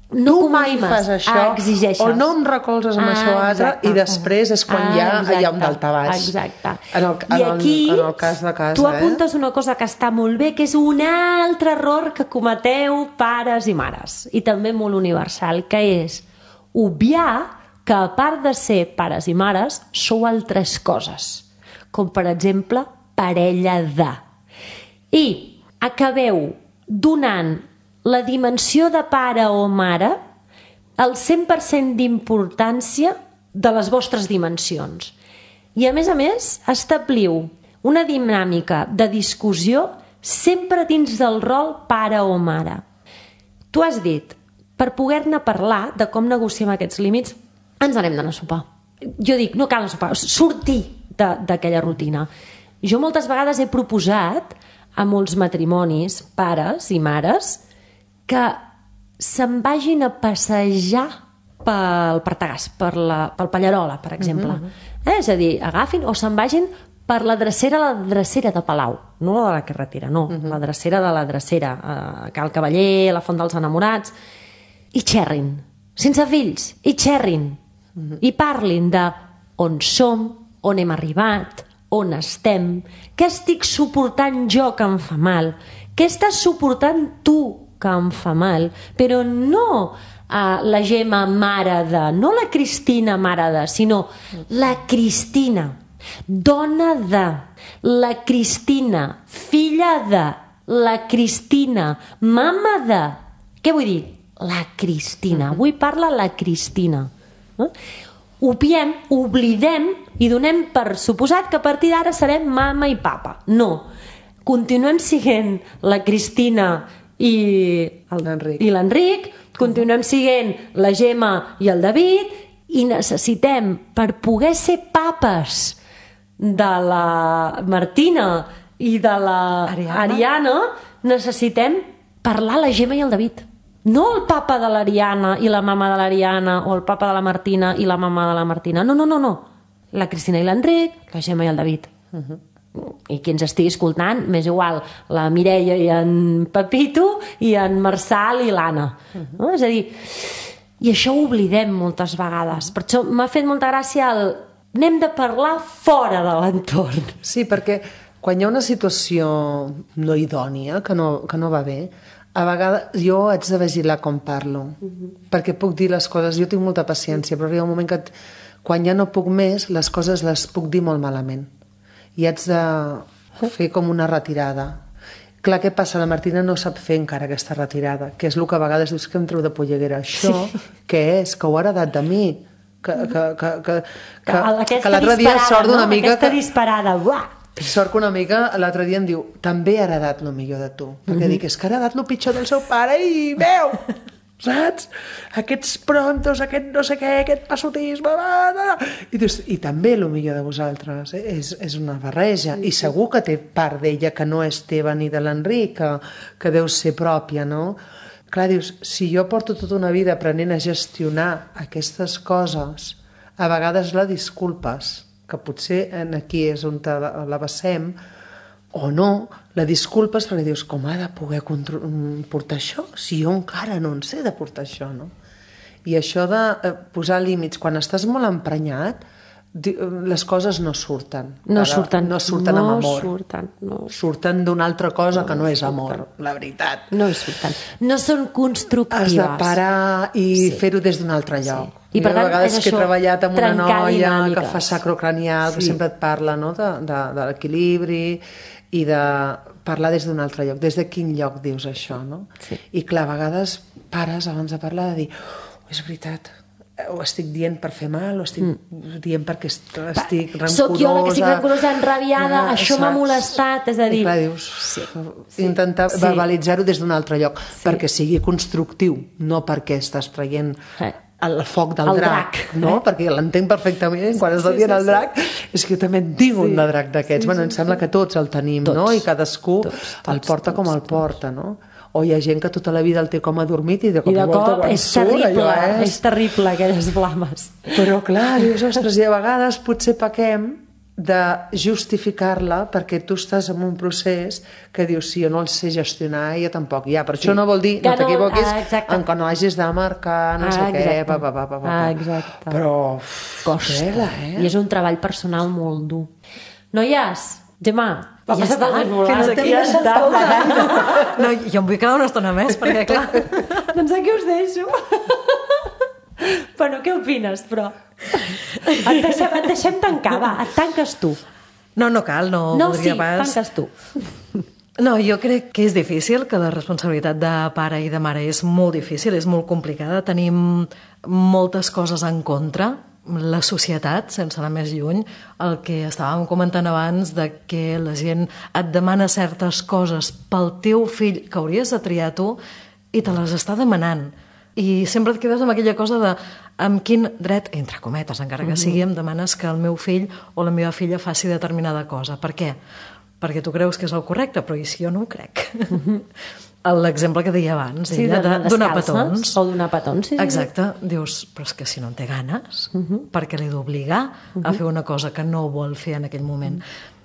no tu mai fas això, exigeixes. O no em recolzes amb això altre, i després és quan hi ha un daltabaix. Exacte. En el cas de casa. Tu apuntes una cosa que està molt bé, que és un altre error que cometeu pares i mares, i també molt universal, que és obviar que a part de ser pares i mares, sou altres coses, com per exemple parella de. I acabeu donant la dimensió de pare o mare el 100% d'importància de les vostres dimensions. I a més, establiu una dinàmica de discussió sempre dins del rol pare o mare. Tu has dit, per poder-ne parlar de com negociem aquests límits, ens anem d'anar a sopar. Jo dic, no cal anar a sopar, sortir d'aquella rutina. Jo moltes vegades he proposat a molts matrimonis, pares i mares, que se'n vagin a passejar pel Partagàs, pel Pallarola, per exemple. És a dir, agafin o se'n vagin per la drecera de Palau, no la de la carretera, no, la drecera de la drecera, a Cal Cavaller, a la Font dels Enamorats, i xerrin, sense fills, i xerrin, i parlin de on som, on hem arribat, on estem, què estic suportant jo que em fa mal, què estàs suportant tu que em fa mal, però no la Gemma mare de, no la Cristina mare de, sinó la Cristina, dona de, la Cristina, filla de, la Cristina, mama de. Què vull dir? La Cristina. Avui parla la Cristina. Obviem, oblidem i donem per suposat que a partir d'ara serem mama i papa. No. Continuem sent la Cristina i l'Enric, continuem sent la Gemma i el David, i necessitem, per poder ser papes de la Martina i de la Ariana, necessitem parlar la Gemma i el David. No el papa de l'Ariana i la mama de l'Ariana, o el papa de la Martina i la mama de la Martina. No. La Cristina i l'Enric, la Gemma i el David. I qui ens estigui escoltant, m'és igual, la Mireia i en Pepito i en Marçal i l'Anna. És a dir, i això ho oblidem moltes vegades. Per això m'ha fet molta gràcia el anem de parlar fora de l'entorn. Sí, perquè quan hi ha una situació no idònia, que no va bé, a vegades jo haig de vigilar com parlo, perquè puc dir les coses, jo tinc molta paciència, però arriba un moment que quan ja no puc més, les coses les puc dir molt malament. I haig de fer com una retirada. Clar, què passa? La Martina no sap fer encara aquesta retirada, que és el que a vegades dius que em treu de polleguera. Això, què és? Que ho ha heredat de mi. Que l'altre dia sort d'una mica... Aquesta disparada, uah! Sort que una amiga l'altre dia em diu també ha heredat el millor de tu. Perquè dic, és que ha heredat el pitjor del seu pare i veu, saps? Aquests prontos, aquest no sé què, aquest passotisme... I dius, i també el millor de vosaltres. És una barreja. I segur que té part d'ella que no és teva ni de l'Enric, que deu ser pròpia, no? Clar, dius, si jo porto tota una vida aprenent a gestionar aquestes coses, a vegades la disculpes, que potser aquí és on la basem, o no, la disculpes perquè dius, com ha de poder portar això? Si jo encara no en sé de portar això, no? I això de posar límits, quan estàs molt emprenyat, les coses no surten. No surten amb amor. Surten d'una altra cosa que no és amor, la veritat. No surten. No són constructives. Has de parar i fer-ho des d'un altre lloc. I per tant, a vegades que he treballat amb una noia que fa sacrocranial, que sempre et parla de l'equilibri i de parlar des d'un altre lloc. Des de quin lloc dius això, no? I clar, a vegades pares abans de parlar de dir, és veritat, ho estic dient per fer mal, ho estic dient perquè estic rancorosa. Soc jo la que estic rancorosa, enrabiada, això m'ha molestat, és a dir... I clar, dius, intentar verbalitzar-ho des d'un altre lloc, perquè sigui constructiu, no perquè estàs traient el foc del drac, no? Perquè l'entenc perfectament, quan estàs dient el drac, és que jo també en tinc un de drac d'aquests. Bueno, em sembla que tots el tenim, no? I cadascú el porta com el porta, no? O hi ha gent que tota la vida el té com adormit i de cop és terrible, és terrible aquelles flames. Però clar, dius, ostres, i a vegades potser pequem de justificar-la perquè tu estàs en un procés que dius, si jo no el sé gestionar, jo tampoc. Ja, però això no vol dir, no t'equivoquis, en que no hagis de marcar no sé què, Exacte. Però costa, I és un treball personal molt dur. Noies, Gemma, ja està, fins aquí ja està. No, jo em vull quedar una estona més, perquè clar... Doncs aquí us deixo. Bueno, què opines, però? Et deixem tancar, va, et tanques tu. No cal, no voldria pas... No, sí, tanques tu. No, jo crec que és difícil, que la responsabilitat de pare i de mare és molt difícil, és molt complicada, tenim moltes coses en contra, la societat, sense anar més lluny, el que estàvem comentant abans de que la gent et demana certes coses pel teu fill que hauries de triar tu i te les està demanant. I sempre et quedes amb aquella cosa de amb quin dret, entre cometes, encara que sigui, em demanes que el meu fill o la meva filla faci determinada cosa. Per què? Perquè tu creus que és el correcte, però i si jo no ho crec? L'exemple que deia abans, de donar petons. O donar petons, sí. Exacte. Dius, però és que si no en té ganes, perquè l'he d'obligar a fer una cosa que no vol fer en aquell moment.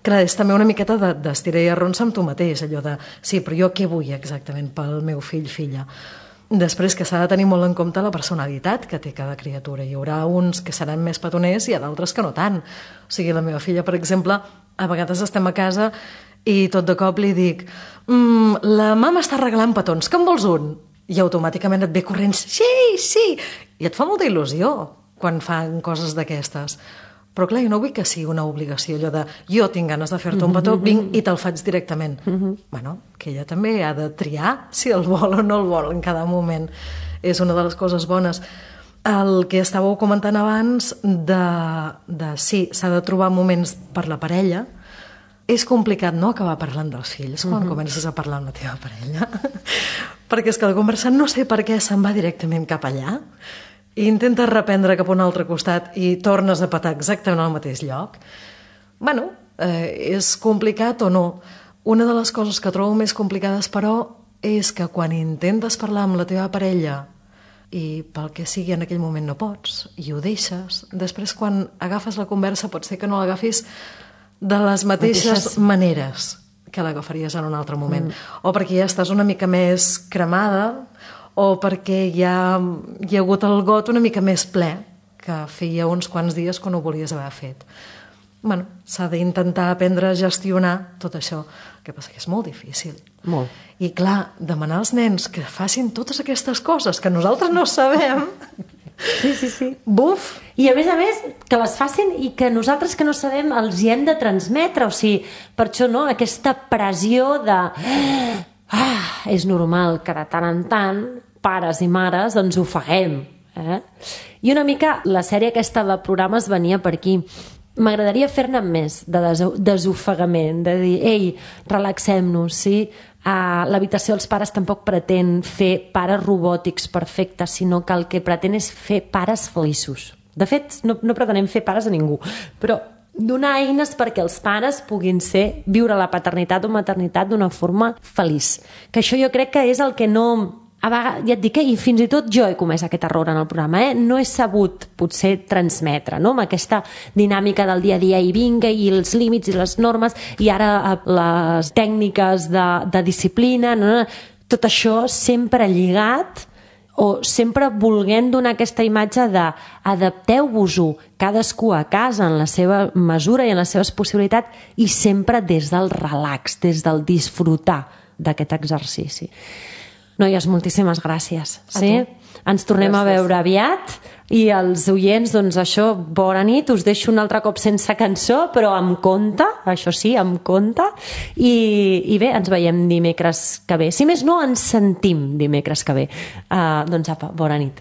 Clar, és també una miqueta d'estirar i arronsa amb tu mateix, allò de, sí, però jo què vull exactament pel meu fill, filla? Després que s'ha de tenir molt en compte la personalitat que té cada criatura. Hi haurà uns que seran més petoners i hi ha d'altres que no tant. O sigui, la meva filla, per exemple, a vegades estem a casa i tot de cop li dic la mama està regalant petons, que en vols un? I automàticament et ve corrents, sí, i et fa molta il·lusió quan fan coses d'aquestes. Però clar, jo no vull que sigui una obligació, allò de jo tinc ganes de fer-te un petó, vinc i te'l faig directament. Bueno, que ella també ha de triar si el vol o no el vol en cada moment. És una de les coses bones. El que estàveu comentant abans de sí, s'ha de trobar moments per la parella. És complicat no acabar parlant dels fills quan comences a parlar amb la teva parella, perquè és que la conversa no sé per què se'n va directament cap allà i intentes reprendre cap a un altre costat i tornes a petar exactament al mateix lloc. Bueno, és complicat o no. Una de les coses que trobo més complicades, però, és que quan intentes parlar amb la teva parella i pel que sigui en aquell moment no pots i ho deixes, després quan agafes la conversa pot ser que no l'agafis de les mateixes maneres que l'agafaries en un altre moment. O perquè ja estàs una mica més cremada, o perquè ja hi ha hagut el got una mica més ple, que feia uns quants dies que no ho volies haver fet. Bueno, s'ha d'intentar aprendre a gestionar tot això. El que passa que és molt difícil. Molt. I clar, demanar als nens que facin totes aquestes coses que nosaltres no sabem... Sí. Buf! I a més, que les facin i que nosaltres que no sabem els hi hem de transmetre, o sigui, per això no, aquesta pressió de és normal que de tant en tant pares i mares ens ofeguem, I una mica la sèrie aquesta de programes venia per aquí, m'agradaria fer-ne més de desofegament, de dir, ei, relaxem-nos, sí? L'habitació dels pares tampoc pretén fer pares robòtics perfectes, sinó que el que pretén és fer pares feliços. De fet, no pretenem fer pares a ningú, però donar eines perquè els pares puguin viure la paternitat o maternitat d'una forma feliç. Que això jo crec que és el que no... A vegades, ja et dic, i fins i tot jo he comès aquest error en el programa, no he sabut potser transmetre, no? Amb aquesta dinàmica del dia a dia i vinga, i els límits i les normes, i ara les tècniques de disciplina, no? Tot això sempre lligat o sempre volent donar aquesta imatge de adapteu-vos-ho cadascú a casa en la seva mesura i en les seves possibilitats i sempre des del relax, des del disfrutar d'aquest exercici. Noies, moltíssimes gràcies. Sí? Ens tornem a veure aviat i els oients, doncs això, bona nit, us deixo un altre cop sense cançó, però amb compte, això sí, amb compte, i bé, ens veiem dimecres que ve. Si més no, ens sentim dimecres que ve. Doncs apa, bona nit.